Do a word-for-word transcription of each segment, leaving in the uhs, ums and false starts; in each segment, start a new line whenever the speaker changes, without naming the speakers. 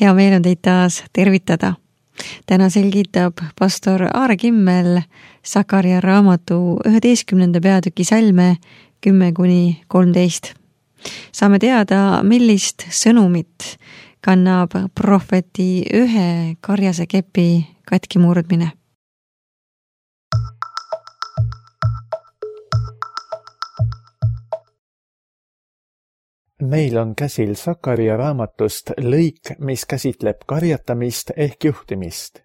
Hea meel on teid taas tervitada. Täna selgitab pastor Aare Kimmel Sakaria raamatu üheteistkümnenda peatüki salme kümme kuni kolmteist. Saame teada, millist sõnumit kannab prohveti ühe karjase kepi katki murdmine.
Meil on käsil Sakaria raamatust lõik, mis käsitleb karjatamist ehk juhtimist.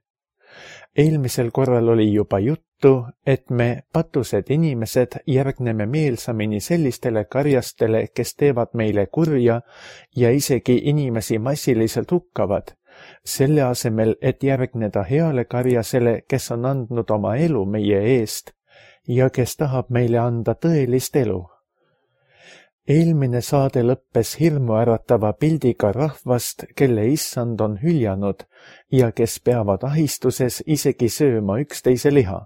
Eelmisel korral oli juba juttu, et me, patused inimesed, järgneme meelsamini sellistele karjastele, kes teevad meile kurja ja isegi inimesi massiliselt hukkavad, selle asemel, et järgneda heale karjasele, kes on andnud oma elu meie eest ja kes tahab meile anda tõelist elu. Eelmine saade lõppes hirmu äratava pildiga rahvast, kelle issand on hüljanud ja kes peavad ahistuses isegi sööma üksteise liha.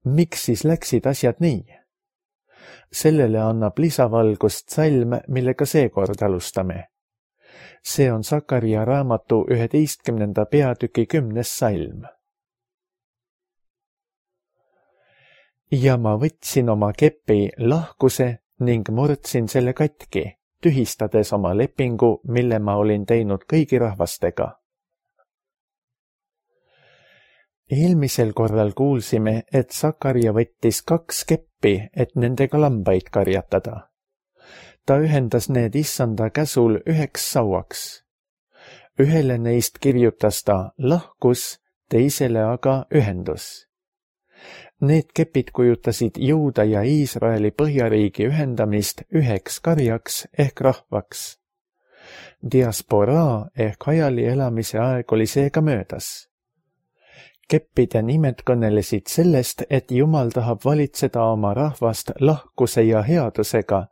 Miks siis läksid asjad nii? Sellele annab lisavalgust salm, millega seekord alustame. See on Sakaria raamatu üheteistkümnenda peatüki kümnes salm. Ja ma võtsin oma kepi lahkuse ning murdsin selle katki, tühistades oma lepingu, mille ma olin teinud kõigi rahvastega. Eelmisel korral kuulsime, et Sakaria võttis kaks keppi, et nendega lambaid karjatada. Ta ühendas need issanda käsul üheks sauaks. Ühele neist kirjutas ta lahkus, teisele aga ühendus. Need kepid kujutasid Juuda ja Iisraeli põhjariigi ühendamist üheks karjaks ehk rahvaks. Diasporaa ehk hajali elamise aeg oli seega möödas. Keppide nimed kõnelesid sellest, et Jumal tahab valitseda oma rahvast lahkuse ja headusega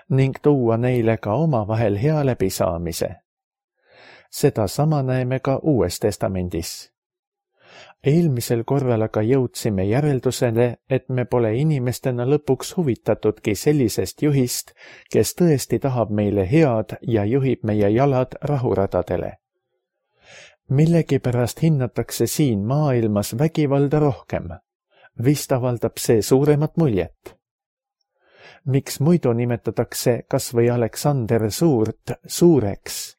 ning tuua neile ka omavahel hea läbisaamise. Seda sama näeme ka Uues Testamendis. Eelmisel korral aga jõudsime järeldusele, et me pole inimestena lõpuks huvitatudki sellisest juhist, kes tõesti tahab meile head ja juhib meie jalad rahuradadele. Millegipärast hinnatakse siin maailmas vägivalda rohkem. Vist avaldab see suuremat muljet. Miks muidu nimetatakse kas või Aleksander Suurt suureks?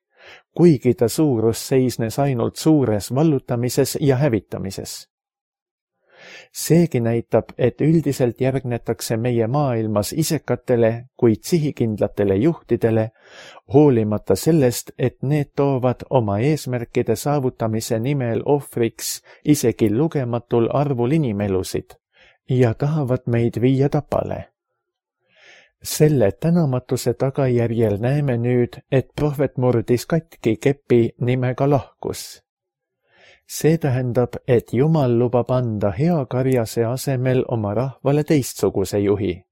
Kuigi ta suurus seisnes ainult suures vallutamises ja hävitamises. Seegi näitab, et üldiselt järgnetakse meie maailmas isekatele, kuid sihikindlatele juhtidele, hoolimata sellest, et need toovad oma eesmärkide saavutamise nimel ohvriks isegi lugematul arvul inimelusid ja tahavad meid viia tapale. Selle tänamatuse tagajärjel näeme nüüd, et prohvet murdis katki kepi nimega lahkus. See tähendab, et Jumal lubab anda hea karjase asemel oma rahvale teistsuguse juhi.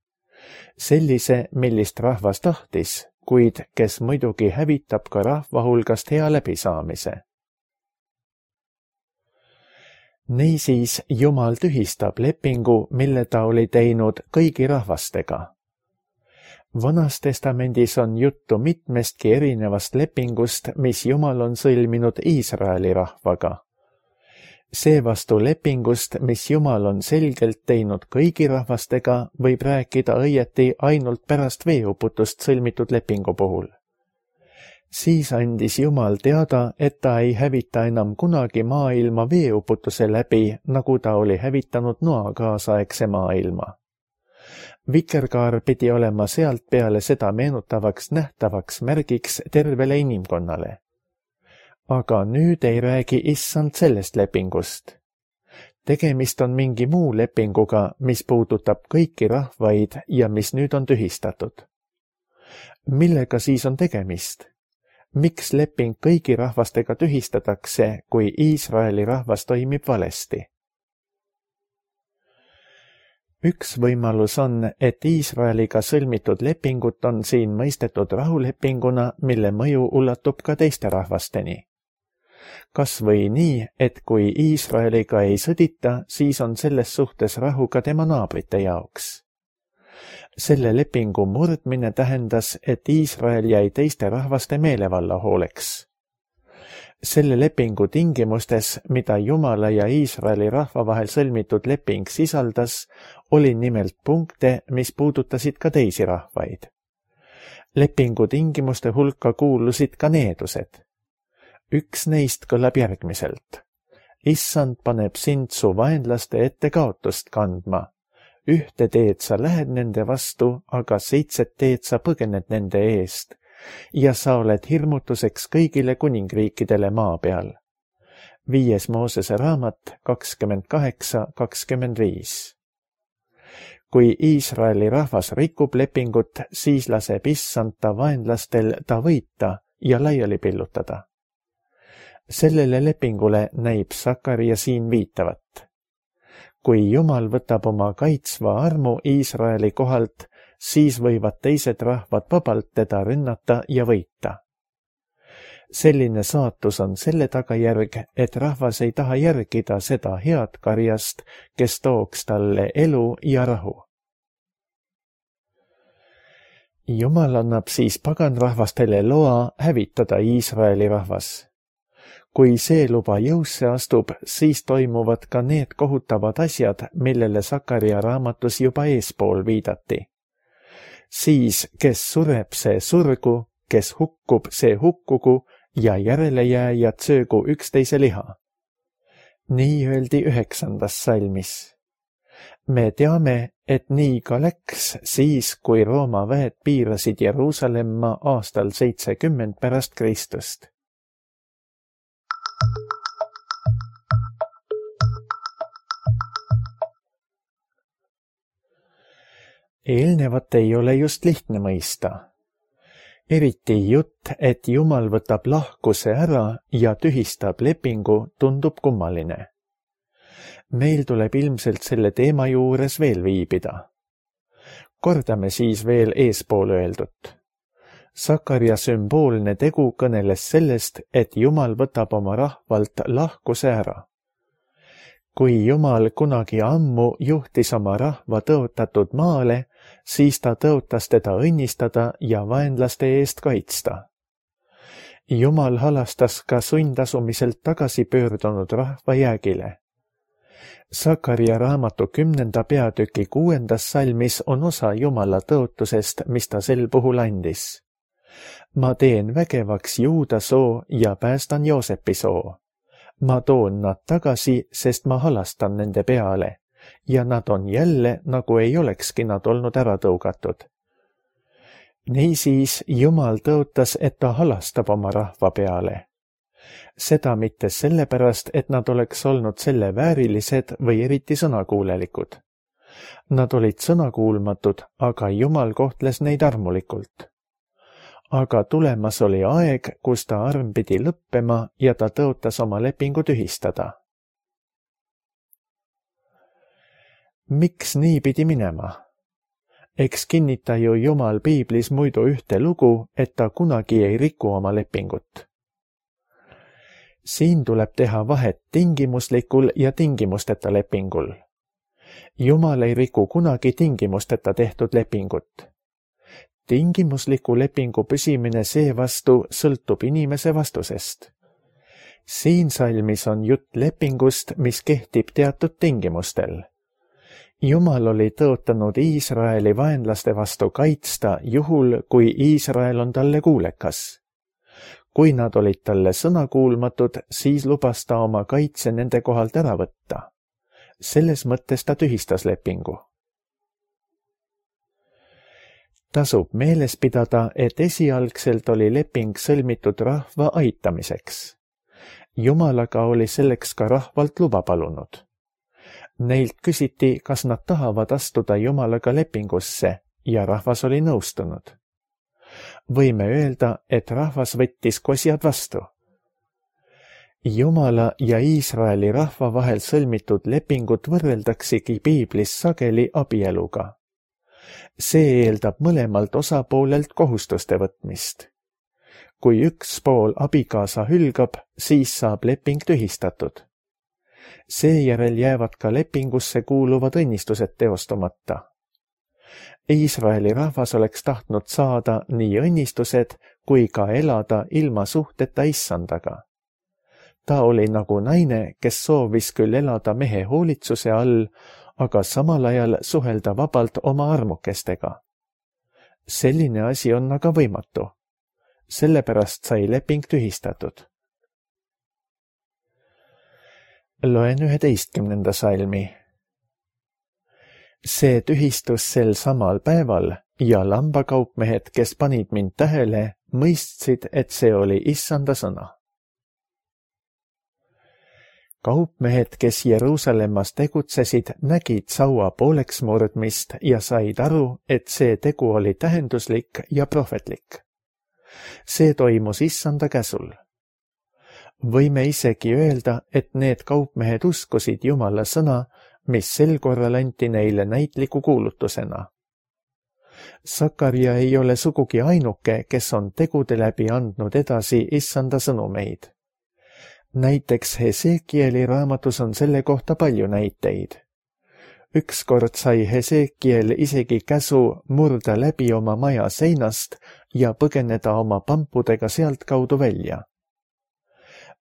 Sellise, millist rahvas tahtis, kuid kes muidugi hävitab ka rahva hulgast hea läbisaamise. Niisiis Jumal tühistab lepingu, mille ta oli teinud kõigi rahvastega. Vanas testamendis on juttu mitmestki erinevast lepingust, mis Jumal on sõlminud Iisraeli rahvaga. Seevastu lepingust, mis Jumal on selgelt teinud kõigi rahvastega, võib rääkida õieti ainult pärast veeuputust sõlmitud lepingu puhul. Siis andis Jumal teada, et ta ei hävita enam kunagi maailma veeuputuse läbi, nagu ta oli hävitanud Noa kaasaegse maailma. Vikerkaar pidi olema sealt peale seda meenutavaks nähtavaks märgiks tervele inimkonnale. Aga nüüd ei räägi issand sellest lepingust. Tegemist on mingi muu lepinguga, mis puudutab kõiki rahvaid ja mis nüüd on tühistatud. Millega siis on tegemist? Miks leping kõigi rahvastega tühistatakse, kui Iisraeli rahvas toimib valesti? Üks võimalus on, et Iisraeliga sõlmitud lepingut on siin mõistetud rahulepinguna, mille mõju ulatub ka teiste rahvasteni. Kas või nii, et kui Iisraeliga ei sõdita, siis on selles suhtes rahu ka tema naabrite jaoks. Selle lepingu murdmine tähendas, et Iisrael jäi teiste rahvaste meelevalla hooleks. Selle lepingu tingimustes, mida Jumala ja Iisraeli rahva vahel sõlmitud leping sisaldas, oli nimelt punkte, mis puudutasid ka teisi rahvaid. Lepingu tingimuste hulka kuulusid ka needused. Üks neist kõlab järgmiselt. Issand paneb sind su vaenlaste ette kaotust kandma. Ühte teed sa lähed nende vastu, aga seitset teed sa põgened nende eest ja sa oled hirmutuseks kõigile kuningriikidele maa peal. Viies Moosese raamat kakskümmend kaheksa kakskümmend viis. Kui Iisraeli rahvas rikub lepingut, siis laseb issand ta vaenlastel ta võita ja laiali pillutada. Sellele lepingule näib Sakaria siin viitavat. Kui Jumal võtab oma kaitsva armu Iisraeli kohalt, siis võivad teised rahvad vabalt teda rünnata ja võita. Selline saatus on selle tagajärg, et rahvas ei taha järgida seda head karjast, kes tooks talle elu ja rahu. Jumal annab siis paganrahvastele loa hävitada Iisraeli rahvas. Kui see luba jõusse astub, siis toimuvad ka need kohutavad asjad, millele Sakaria raamatus juba eespool viidati. Siis, kes sureb, see surgu, kes hukkub, see hukkugu ja järelejääjad söögu üksteise liha. Nii öeldi üheksandas salmis. Me teame, et nii ka läks siis, kui Rooma väed piirasid Jeruusalemma aastal seitsekümmend pärast Kristust. Eelnevat ei ole just lihtne mõista. Eriti jutt, et Jumal võtab lahkuse ära ja tühistab lepingu, tundub kummaline. Meil tuleb ilmselt selle teema juures veel viibida. Kordame siis veel eespool öeldut. Sakaria sümboolne tegu kõneles sellest, et Jumal võtab oma rahvalt lahkuse ära. Kui Jumal kunagi ammu juhtis oma rahva tõotatud maale, siis ta tõotas teda õnnistada ja vaenlaste eest kaitsta. Jumal halastas ka sundasumiselt tagasi pöördunud rahva jäägile. Sakaria raamatu kümnenda peatüki kuuendas salmis on osa Jumala tõotusest, mis ta sel puhul andis. Ma teen vägevaks Juuda soo ja päästan Joosepi soo. Ma toon nad tagasi, sest ma halastan nende peale ja nad on jälle, nagu ei olekski nad olnud ära tõugatud. Niisiis Jumal tõotas, et ta halastab oma rahva peale. Seda mitte sellepärast, et nad oleks olnud selle väärilised või eriti sõnakuulelikud. Nad olid sõnakuulmatud, aga Jumal kohtles neid armulikult. Aga tulemas oli aeg, kus ta arm pidi lõppema ja ta tõotas oma lepingu tühistada. Miks nii pidi minema? Eks kinnita ju Jumal piiblis muidu ühte lugu, et ta kunagi ei riku oma lepingut. Siin tuleb teha vahet tingimuslikul ja tingimusteta lepingul. Jumal ei riku kunagi tingimusteta tehtud lepingut. Tingimusliku lepingu püsimine seevastu sõltub inimese vastusest. Siin salmis on jutt lepingust, mis kehtib teatud tingimustel. Jumal oli tõotanud Iisraeli vaenlaste vastu kaitsta juhul, kui Iisrael on talle kuulekas. Kui nad olid talle sõnakuulmatud, siis lubas ta oma kaitse nende kohalt ära võtta. Selles mõttes ta tühistas lepingu. Tasub meeles pidada, et esialgselt oli leping sõlmitud rahva aitamiseks. Jumalaga oli selleks ka rahvalt luba palunud. Neilt küsiti, kas nad tahavad astuda Jumalaga lepingusse ja rahvas oli nõustunud. Võime öelda, et rahvas võttis kosjad vastu. Jumala ja Iisraeli rahva vahel sõlmitud lepingut võrreldaksegi piiblis sageli abieluga. See eeldab mõlemalt osapoolelt kohustuste võtmist. Kui üks pool abikaasa hülgab, siis saab leping tühistatud. Seejärel jäävad ka lepingusse kuuluvad õnnistused teostamata. Iisraeli rahvas oleks tahtnud saada nii õnnistused kui ka elada ilma suhteta issandaga. Ta oli nagu naine, kes soovis küll elada mehe hoolitsuse all, aga samal ajal suhelda vabalt oma armukestega. Selline asi on aga võimatu. Sellepärast sai leping tühistatud. Loen üheteistkümnenda salmi. See tühistus sel samal päeval ja lambakaupmehed, kes panid mind tähele, mõistsid, et see oli issanda sõna. Kaupmehed, kes Jeruusalemmas tegutsesid, nägid saua pooleks murdmist ja said aru, et see tegu oli tähenduslik ja prohvetlik. See toimus issanda käsul. Võime isegi öelda, et need kaupmehed uskusid Jumala sõna, mis sel korral anti neile näitliku kuulutusena. Sakaria ei ole sugugi ainuke, kes on tegude läbi andnud edasi issanda sõnumeid. Näiteks Hesekieli raamatus on selle kohta palju näiteid. Ükskord sai Hesekiel isegi käsu murda läbi oma maja seinast ja põgeneda oma pampudega sealt kaudu välja.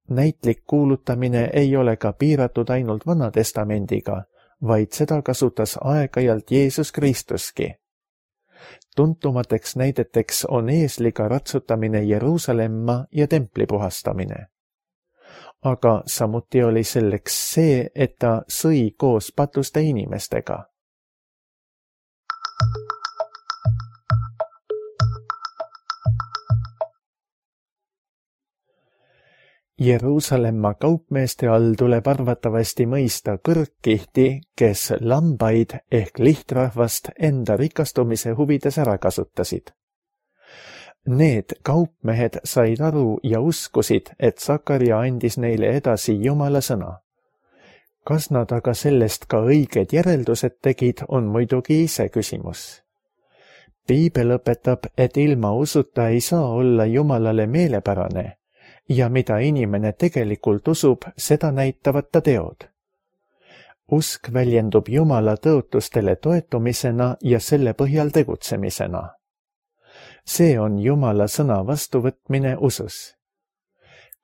Näitlik kuulutamine ei ole ka piiratud ainult Vanatestamendiga, vaid seda kasutas aeg-ajalt Jeesus Kristuski. Tuntumateks näideteks on eesliga ratsutamine Jeruusalemma ja templi puhastamine. Aga samuti oli selleks see, et ta sõi koos patuste inimestega. Jeruusalemma kaupmeeste all tuleb arvatavasti mõista kõrgkihti, kes lambaid ehk lihtrahvast enda rikastumise huvides ära kasutasid. Need kaupmehed said aru ja uskusid, et Sakaria andis neile edasi Jumala sõna. Kas nad aga sellest ka õiged järeldused tegid, on muidugi ise küsimus. Piibel õpetab, et ilma usuta ei saa olla Jumalale meelepärane ja mida inimene tegelikult usub, seda näitavad ta teod. Usk väljendub Jumala tõotustele toetumisena ja selle põhjal tegutsemisena. See on Jumala sõna vastuvõtmine usus.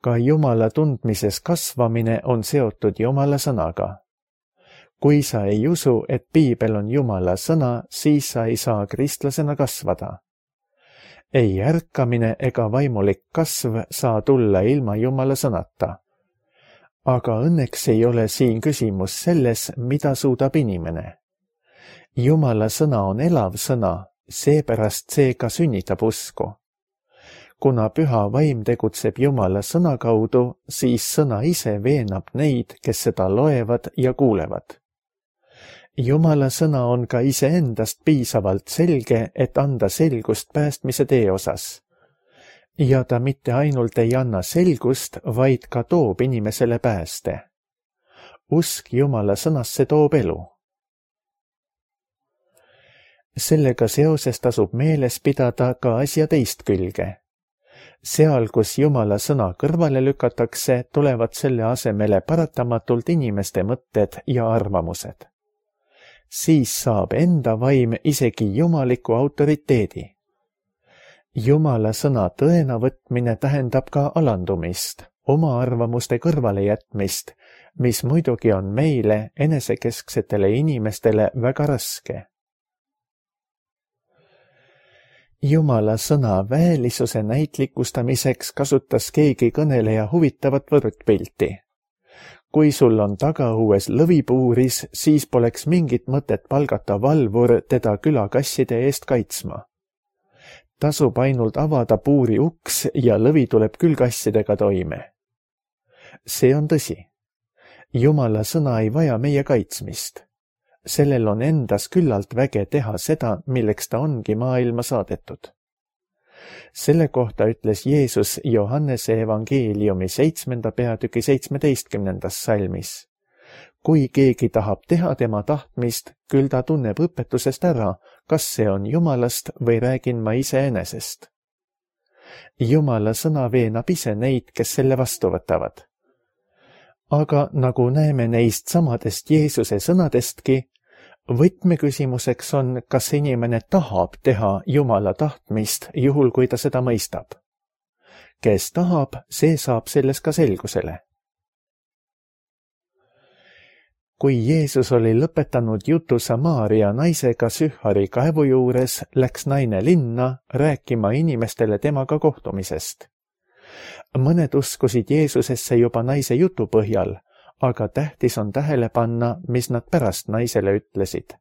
Ka Jumala tundmises kasvamine on seotud Jumala sõnaga. Kui sa ei usu, et Piibel on Jumala sõna, siis sa ei saa kristlasena kasvada. Ei ärkamine ega vaimulik kasv saa tulla ilma Jumala sõnata. Aga õnneks ei ole siin küsimus selles, mida suudab inimene. Jumala sõna on elav sõna, seepärast see ka sünnitab usku. Kuna püha vaim tegutseb Jumala sõna kaudu, siis sõna ise veenab neid, kes seda loevad ja kuulevad. Jumala sõna on ka iseendast piisavalt selge, et anda selgust päästmise tee osas. Ja ta mitte ainult ei anna selgust, vaid ka toob inimesele pääste. Usk Jumala sõnasse toob elu. Sellega seoses tasub meeles pidada ka asja teist külge. Seal, kus Jumala sõna kõrvale lükatakse, tulevad selle asemele paratamatult inimeste mõtted ja arvamused. Siis saab enda vaim isegi jumaliku autoriteedi. Jumala sõna tõena võtmine tähendab ka alandumist, oma arvamuste kõrvale jätmist, mis muidugi on meile, enesekesksetele inimestele, väga raske. Jumala sõna väelisuse näitlikustamiseks kasutas keegi kõneleja huvitavat võrdpilti. Kui sul on tagaõues lõvipuuris, siis poleks mingit mõtet palgata valvur teda külakasside eest kaitsma. Tasub ainult avada puuri uks ja lõvi tuleb küll kassidega toime. See on tõsi. Jumala sõna ei vaja meie kaitsmist. Sellel on endas küllalt väge teha seda, milleks ta ongi maailma saadetud. Selle kohta ütles Jeesus Johannese evangeeliumi seitsmenda peatüki seitsmeteistkümnendas salmis. Kui keegi tahab teha tema tahtmist, küll ta tunneb õpetusest ära, kas see on Jumalast või räägin ma iseenesest. Jumala sõna veenab ise neid, kes selle vastu võtavad. Aga nagu näeme neist samadest Jeesuse sõnadestki, võtmeküsimuseks on, kas inimene tahab teha Jumala tahtmist, juhul kui ta seda mõistab. Kes tahab, see saab selles ka selgusele. kui Jeesus oli lõpetanud jutu Samaaria naisega Sühari kaevu juures, läks naine linna rääkima inimestele temaga kohtumisest. Mõned uskusid Jeesusesse juba naise jutu põhjal, aga tähtis on tähele panna, mis nad pärast naisele ütlesid.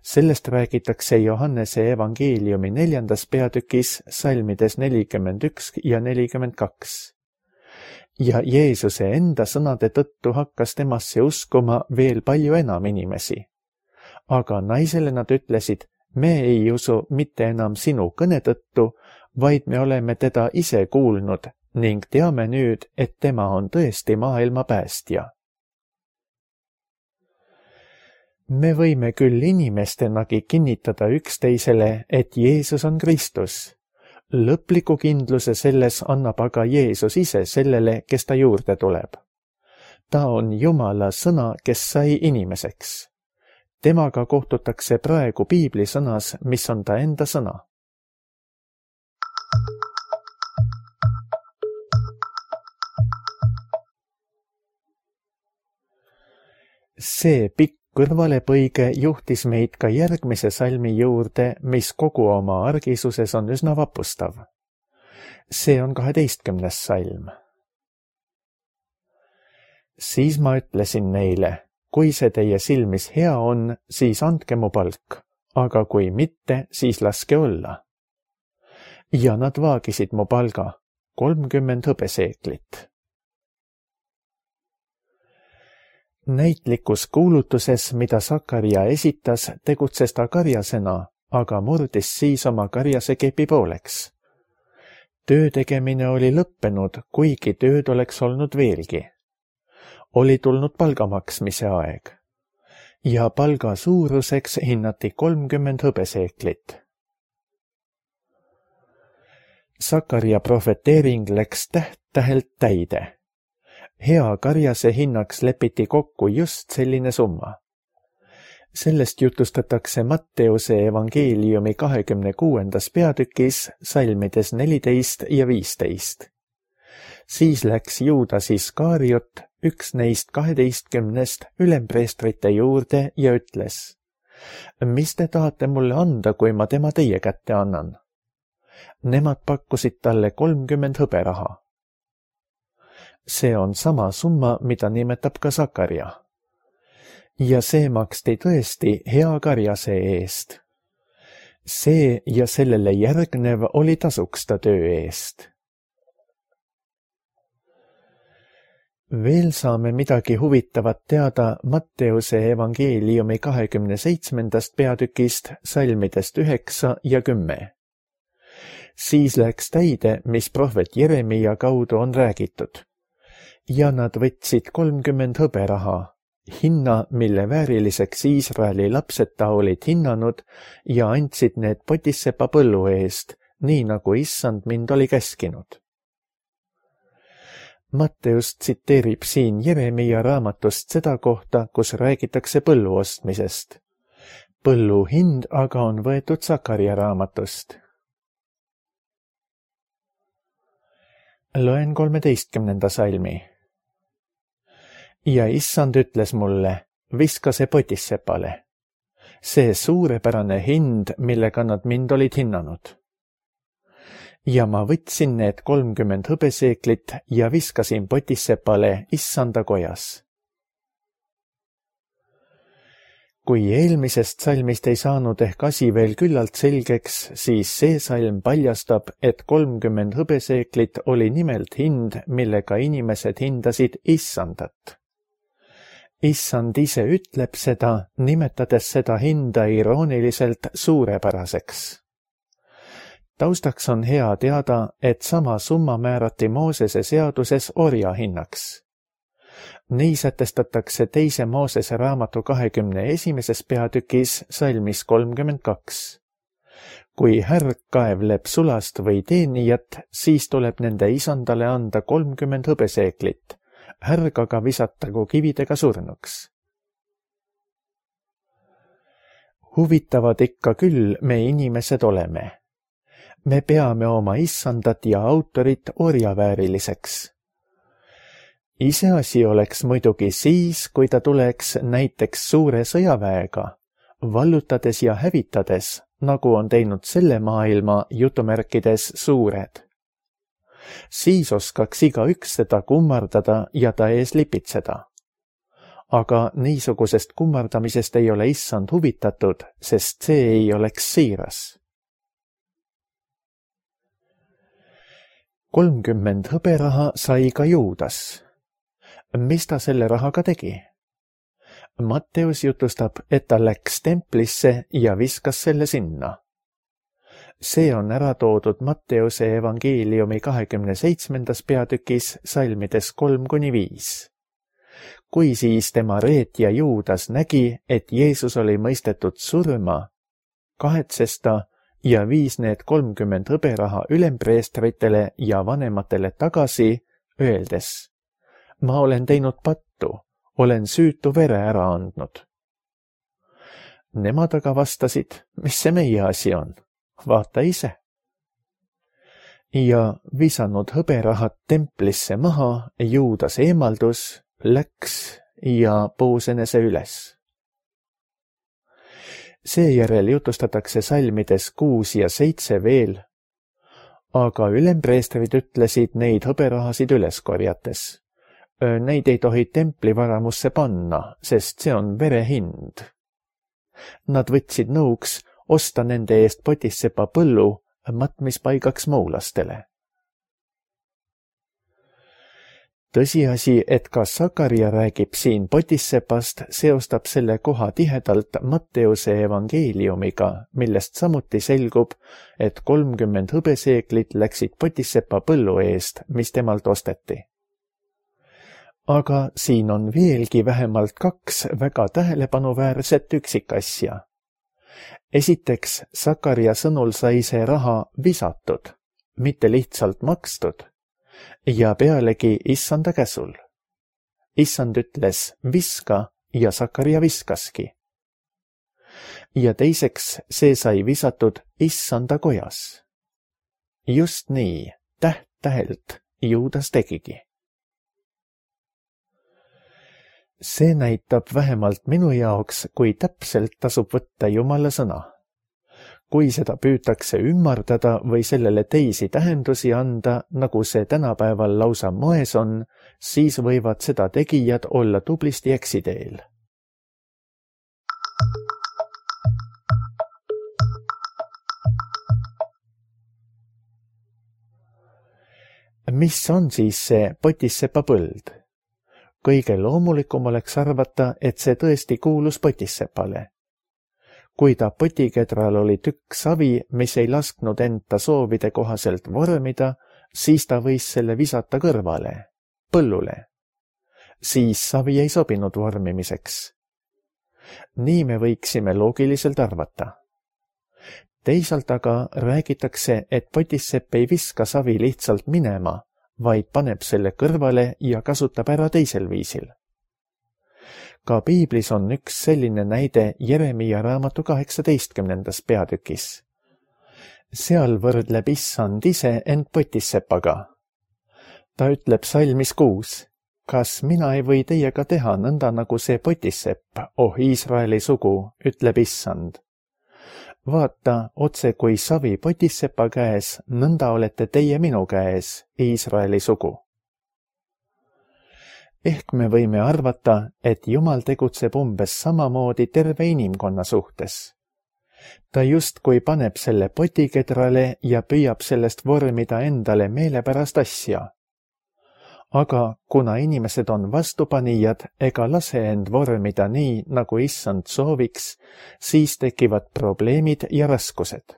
Sellest räägitakse Johannese evangeeliumi neljandas peatükis salmides nelikümmend üks ja nelikümmend kaks. Ja Jeesuse enda sõnade tõttu hakkas temasse uskuma veel palju enam inimesi. Aga naisele nad ütlesid, me ei usu mitte enam sinu kõne tõttu, vaid me oleme teda ise kuulnud ning teame nüüd, et tema on tõesti maailma päästja. Me võime küll inimestenagi kinnitada üksteisele, et Jeesus on Kristus. Lõpliku kindluse selles annab aga Jeesus ise sellele, kes ta juurde tuleb. Ta on Jumala sõna, kes sai inimeseks. Temaga kohtutakse praegu piibli sõnas, mis on ta enda sõna. See pikk kõrvalepõige juhtis meid ka järgmise salmi juurde, mis kogu oma argisuses on üsna vapustav. See on kaheteistkümnes salm. Siis ma ütlesin neile, kui see teie silmis hea on, siis andke mu palk, aga kui mitte, siis laske olla. Ja nad vaagisid mu palga, kolmkümmend hõbeseeklit. Näitlikus kuulutuses, mida Sakaria esitas, tegutses ta karjasena, aga murdis siis oma karjase kepi pooleks. Töö tegemine oli lõppenud, kuigi tööd oleks olnud veelgi. Oli tulnud palga maksmise aeg. Ja palga suuruseks hinnati kolmkümmend hõbeseeklit. Sakaria profeteering läks täht-tähelt täide. Hea karjase hinnaks lepiti kokku just selline summa. Sellest jutustatakse Matteuse evangeeliumi kahekümne kuuendas peatükis salmides neliteist ja viisteist. Siis läks Juudas Iskariot, üks neist kaheteistkümnest ülempreestrite juurde ja ütles, mis te tahate mulle anda, kui ma tema teie kätte annan? Nemad pakkusid talle kolmkümmend hõberaha. See on sama summa, mida nimetab ka Sakaria. Ja see maksti tõesti hea karjase eest. See ja sellele järgnev oli tasuks ta töö eest. Veel saame midagi huvitavat teada Matteuse evangeeliumi kahekümne seitsmendast peatükist salmidest üheksa ja kümme. Siis läks täide, mis prohvet Jeremia kaudu on räägitud. Ja nad võtsid kolmkümmend hõberaha, hinna, mille vääriliseks Iisraeli lapsed ta olid hinnanud ja andsid need Potissepa põllu eest, nii nagu issand mind oli käskinud. Matteus tsiteerib siin Jeremia raamatust seda kohta, kus räägitakse põllu ostmisest. Põllu hind aga on võetud Sakaria raamatust. Loen kolmeteistkümnenda salmi. Ja issand ütles mulle, viska see Potissepale. See suurepärane hind, millega nad mind olid hinnanud. Ja ma võtsin need kolmkümmend hõbeseeklit ja viskasin Potissepale issanda kojas. Kui eelmisest salmist ei saanud ehk asi veel küllalt selgeks, siis see salm paljastab, et kolmkümmend hõbeseeklit oli nimelt hind, millega inimesed hindasid issandat. Issand ise ütleb seda, nimetades seda hinda irooniliselt suurepäraseks. Taustaks on hea teada, et sama summa määrati Moosese seaduses orja hinnaks. Nii sätestatakse teise Moosese raamatu kahekümne esimeses peatükis salmis kolmkümmend kaks. Kui härg kaevleb sulast või teenijat, siis tuleb nende isandale anda kolmkümmend hõbeseeklit, härg aga visatagu kividega surnuks. Huvitavad ikka küll me inimesed oleme. Me peame oma issandat ja autorit orjavääriliseks. Iseasi oleks muidugi siis, kui ta tuleks näiteks suure sõjaväega, vallutades ja hävitades, nagu on teinud selle maailma jutumärkides suured. Siis oskaks igaüks teda kummardada ja ta ees lipitseda. Aga niisugusest kummardamisest ei ole issand huvitatud, sest see ei oleks siiras. kolmkümmend hõberaha sai ka Juudas. Mis ta selle rahaga tegi? Matteus jutustab, et ta läks templisse ja viskas selle sinna. See on ära toodud Matteuse evangeeliumi kahekümne seitsmendas peatükis salmides kolm kuni viis. Kui siis tema reetja Juudas nägi, et Jeesus oli mõistetud surma, kahetses ta ja viis need kolmkümmend hõberaha ülempreestritele ja vanematele tagasi, öeldes: ma olen teinud pattu, olen süütu vere ära andnud. Nemad aga vastasid: mis see meie asi on? Vaata ise. Ja visanud hõberahad templisse maha, Juudas eemaldus, läks ja puus enese üles. Seejärel jutustatakse salmides kuus ja seitse veel, aga ülempreestrid ütlesid neid hõberahasid üles korjates: neid ei tohi templivaramusse panna, sest see on vere hind. Nad võtsid nõuks osta nende eest Potissepa põllu matmispaigaks moolastele. Tõsiasi, et ka Sakaria räägib siin Potissepast, seostab selle koha tihedalt Matteuse evangeeliumiga, millest samuti selgub, et kolmkümmend hõbeseeklit läksid Potissepa põllu eest, mis temalt osteti. Aga siin on veelgi vähemalt kaks väga tähelepanuväärset üksikasja. Esiteks, Sakaria sõnul sai see raha visatud, mitte lihtsalt makstud, ja pealegi issanda käsul. Issand ütles viska ja Sakaria viskaski. Ja teiseks, see sai visatud issanda kojas. Just nii, täht tähelt Juudas tegigi. See näitab vähemalt minu jaoks, kui täpselt tasub võtta Jumala sõna. Kui seda püütakse ümmardada või sellele teisi tähendusi anda, nagu see tänapäeval lausa moes on, siis võivad seda tegijad olla tublisti eksiteel. Mis on siis see Potissepa põld? Kõige loomulikum oleks arvata, et see tõesti kuulus Potissepale. Kui ta potikedral oli tükk savi, mis ei lasknud enda soovide kohaselt vormida, siis ta võis selle visata kõrvale, põllule. Siis savi ei sobinud vormimiseks. Nii me võiksime loogiliselt arvata. Teisalt aga räägitakse, et Potissepp ei viska savi lihtsalt minema, vaid paneb selle kõrvale ja kasutab ära teisel viisil. Ka piiblis on üks selline näide Jeremia raamatu kaheksateistkümnendas peatükis. Seal võrdleb issand ise end Potissepaga. Ta ütleb salmis kuus: kas mina ei või teiega teha nõnda nagu see Potissepp, oh Iisraeli sugu, ütleb issand. Vaata, otse kui savi Potissepa käes, nõnda olete teie minu käes, Iisraeli sugu. Ehk me võime arvata, et Jumal tegutseb umbes samamoodi terve inimkonna suhtes. Ta justkui paneb selle potikedrale ja püüab sellest vormida endale meelepärast asja. Aga kuna inimesed on vastupanijad ega lase end vormida nii, nagu issand sooviks, siis tekivad probleemid ja raskused.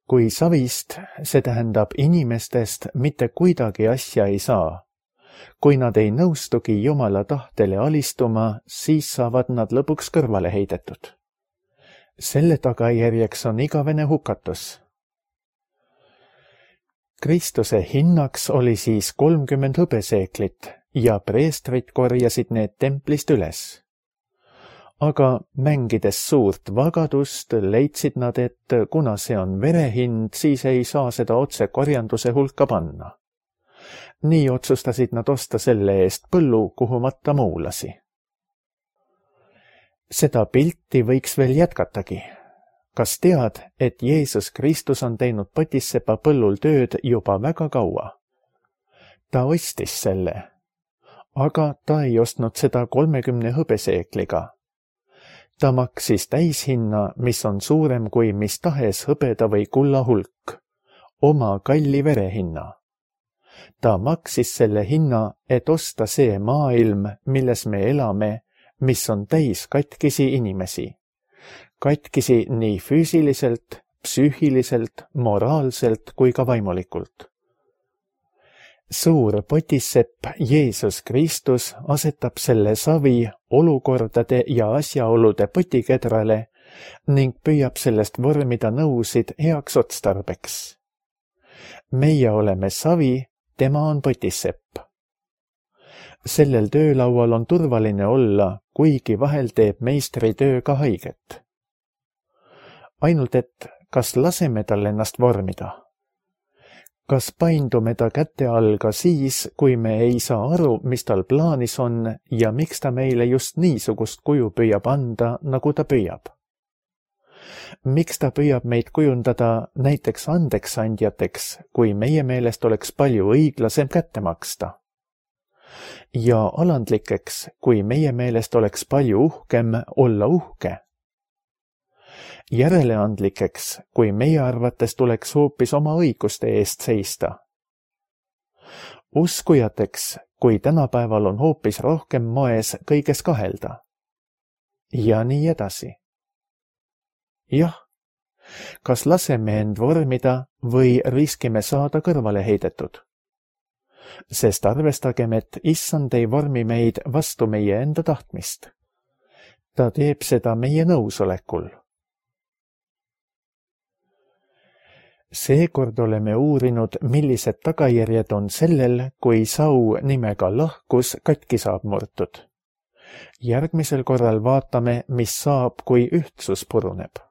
Kui savist, see tähendab inimestest, mitte kuidagi asja ei saa. Kui nad ei nõustugi Jumala tahtele alistuma, siis saavad nad lõpuks kõrvale heidetud. Selle tagajärjeks on igavene hukatus. Kristuse hinnaks oli siis kolmkümmend hõbeseeklit ja preestrid korjasid need templist üles. Aga mängides suurt vagadust, leidsid nad, et kuna see on verehind, siis ei saa seda otse korjanduse hulka panna. nii otsustasid nad osta selle eest põllu, kuhu matta muulasi. Seda pilti võiks veel jätkatagi. Kas tead, et Jeesus Kristus on teinud Potissepa põllul tööd juba väga kaua? Ta ostis selle, aga ta ei ostnud seda kolmekümne hõbeseekliga. Ta maksis täishinna, mis on suurem kui mis tahes hõbeda või kulla hulk, oma kalli verehinna. Ta maksis selle hinna, et osta see maailm, milles me elame, mis on täis katkisi inimesi. Katkisi nii füüsiliselt, psüühiliselt, moraalselt kui ka vaimulikult. Suur Potissepp Jeesus Kristus asetab selle savi olukordade ja asjaolude potikedrale ning püüab sellest vormida nõusid heaks otstarbeks. Meie oleme savi, tema on Potissepp. Sellel töölaual on turvaline olla, kuigi vahel teeb meistri töö ka haiget. Ainult et kas laseme tal ennast vormida? Kas paindume ta käte all ka siis, kui me ei saa aru, mis tal plaanis on ja miks ta meile just niisugust kuju püüab anda, nagu ta püüab? Miks ta püüab meid kujundada näiteks andeksandjateks, kui meie meelest oleks palju õiglasem kätte maksta? Ja alandlikeks, kui meie meelest oleks palju uhkem olla uhke? Järeleandlikeks, kui meie arvates tuleks hoopis oma õiguste eest seista. Uskujateks, kui tänapäeval on hoopis rohkem moes kõiges kahelda. Ja nii edasi. Jah, kas laseme end vormida või riskime saada kõrvale heidetud? Sest arvestagem, et issand ei vormi meid vastu meie enda tahtmist. Ta teeb seda meie nõusolekul. Seekord oleme uurinud, millised tagajärjed on sellel, kui sau nimega lahkus katki saab murtud. Järgmisel korral vaatame, mis saab, kui ühtsus puruneb.